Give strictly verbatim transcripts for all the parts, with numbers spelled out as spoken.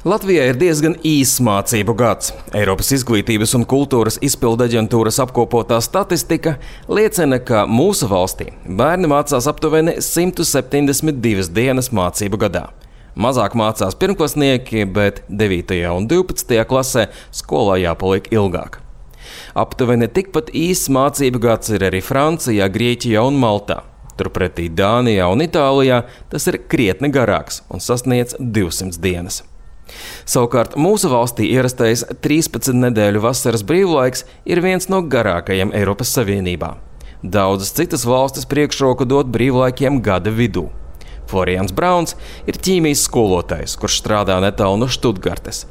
Latvijai ir diezgan īss mācību gads. Eiropas izglītības un kultūras izpildu aģentūras apkopotā statistika liecina, ka mūsu valstī bērni mācās aptuveni simt septiņdesmit divas dienas mācību gadā. Mazāk mācās pirmklasnieki, bet devītajā un divpadsmitajā klasē skolā jāpaliek ilgāk. Aptuveni tikpat īss mācību gads ir arī Francijā, Grieķijā un Maltā. Turpretī Dānijā un Itālijā tas ir krietni garāks un sasniedz divsimt dienas. Savukārt mūsu valstī ierastais trīspadsmit nedēļu vasaras brīvlaiks ir viens no garākajiem Eiropas Savienībā. Daudzas citas valstis priekšroku dod brīvlaikiem gada vidū. Florians Brauns ir ķīmijas skolotājs, kurš strādā netālu no Štutgartes.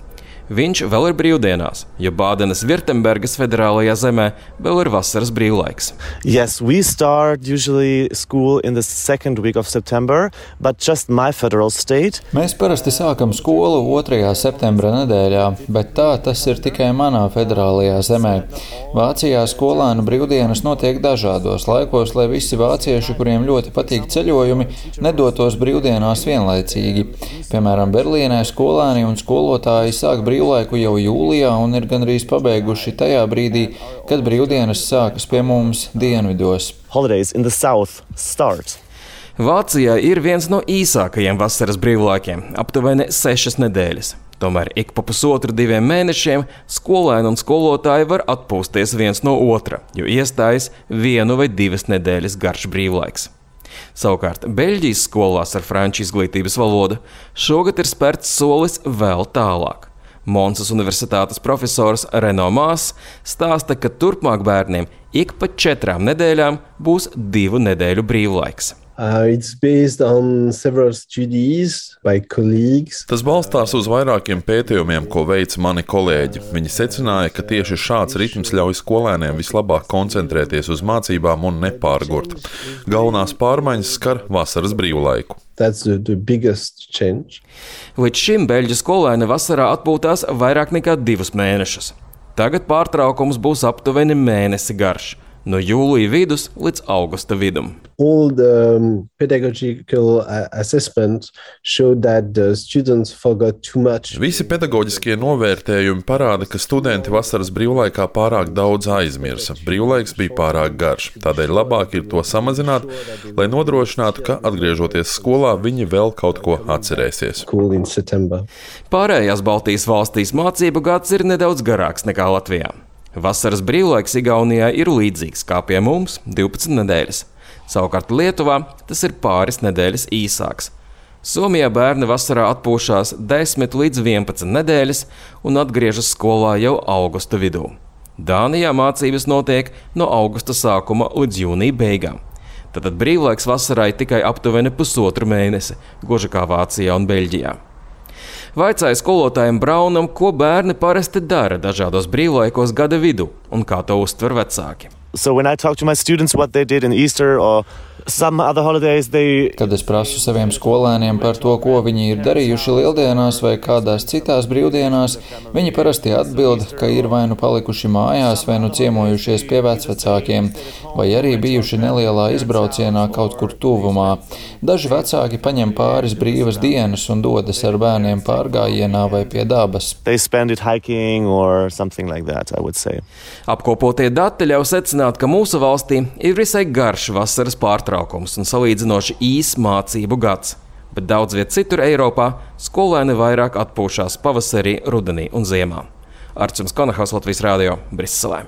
Viņš vēl ir brīvdienās, jo Bādenes Virtembergas federālajā zemē vēl ir vasaras brīvlaiks. Yes, we start usually school in the second week of September, but just my federal state. Mēs parasti sākam skolu otrajā septembra nedēļā, bet tā tas ir tikai manā federālajā zemē. Vācijā skolēnu brīvdienas notiek dažādos laikos, lai visi vācieši, kuriem ļoti patīk ceļojumi, nedotos brīvdienās vienlaicīgi. Piemēram, Berlīnē skolēni un skolotāji sāk brīvlaiku jau jūlijā un ir gandrīz pabeiguši tajā brīdī, kad brīvdienas sākas pie mums dienvidos. Holidays in the south start. Vācijā ir viens no īsākajiem vasaras brīvlaikiem – aptuveni sešas nedēļas. Tomēr ik pa pusotru diviem mēnešiem skolēni un skolotāji var atpūsties viens no otra, jo iestājas vienu vai divas nedēļas garš brīvlaiks. Savukārt Beļģijas skolās ar franču izglītības valodu šogad ir spērts solis vēl tālāk. Monsas universitātes profesors Reno Mās stāsta, ka turpmāk bērniem ik pa četrām nedēļām būs divu nedēļu brīvlaiks. Uh, it's based on several studies by colleagues. Tas balstās uz vairākiem pētījumiem, ko veica mani kolēģi. Viņi secināja, ka tieši šāds ritms ļauj skolēniem vislabāk koncentrēties uz mācībām un nepārgurt. Galvenās pārmaiņas skar vasaras brīvlaiku. That's the, the biggest change. Līdz šim beļģu skolēni vasarā atpūtās vairāk nekā divus mēnešus. Tagad pārtraukums būs aptuveni mēnesi garš. No jūlija vidus līdz augusta vidum. All the um, pedagogical uh, assessments showed that the students forgot too much. Visi pedagoģiskie novērtējumi parāda, ka studenti vasaras brīvlaikā pārāk daudz aizmirsa. Brīvlaiks bija pārāk garš, tādēļ labāk ir to samazināt, lai nodrošinātu, ka atgriežoties skolā, viņi vēl kaut ko atcerēsies. School in September. Pārējās Baltijas valstīs mācību gads ir nedaudz garāks nekā Latvijā. Vasaras brīvlaiks Igaunijā ir līdzīgs kā pie mums – divpadsmit nedēļas. Savukārt Lietuvā tas ir pāris nedēļas īsāks. Somijā bērni vasarā atpūšās desmit līdz vienpadsmit nedēļas un atgriežas skolā jau augusta vidū. Dānijā mācības notiek no augusta sākuma līdz jūnija beigām. Tātad brīvlaiks vasarai tikai aptuveni pusotru mēnesi, gluži kā Vācijā un Beļģijā. Vaicāja skolotājiem Braunam, ko bērni parasti dara dažādos brīvlaikos gada vidū un kā to uztver vecāki. So when I talk to my students what they did in Easter or some other holidays, they... Kad es prasu saviem skolēniem par to, ko viņi ir darījuši lieldienās vai kādās citās brīvdienās, viņi parasti atbild, ka ir vai nu palikuši mājās, vai nu ciemojušies pie vecvecākiem, vai arī bijuši nelielā izbraucienā kaut kur tuvumā. Daži vecāki paņem pāris brīvas dienas un dodas ar bērniem pārgājienā vai pie dabas. They spend it hiking or something like that, I would say. Apkopotie dati ļauj secināt, ka mūsu valstī ir visai garš vasaras pārtraukums un salīdzinoši īss mācību gads, bet daudz viet citur Eiropā skolēni vairāk atpūšās pavasarī, rudenī un ziemā. Arčuns Konahaus, Latvijas radio, Briselē.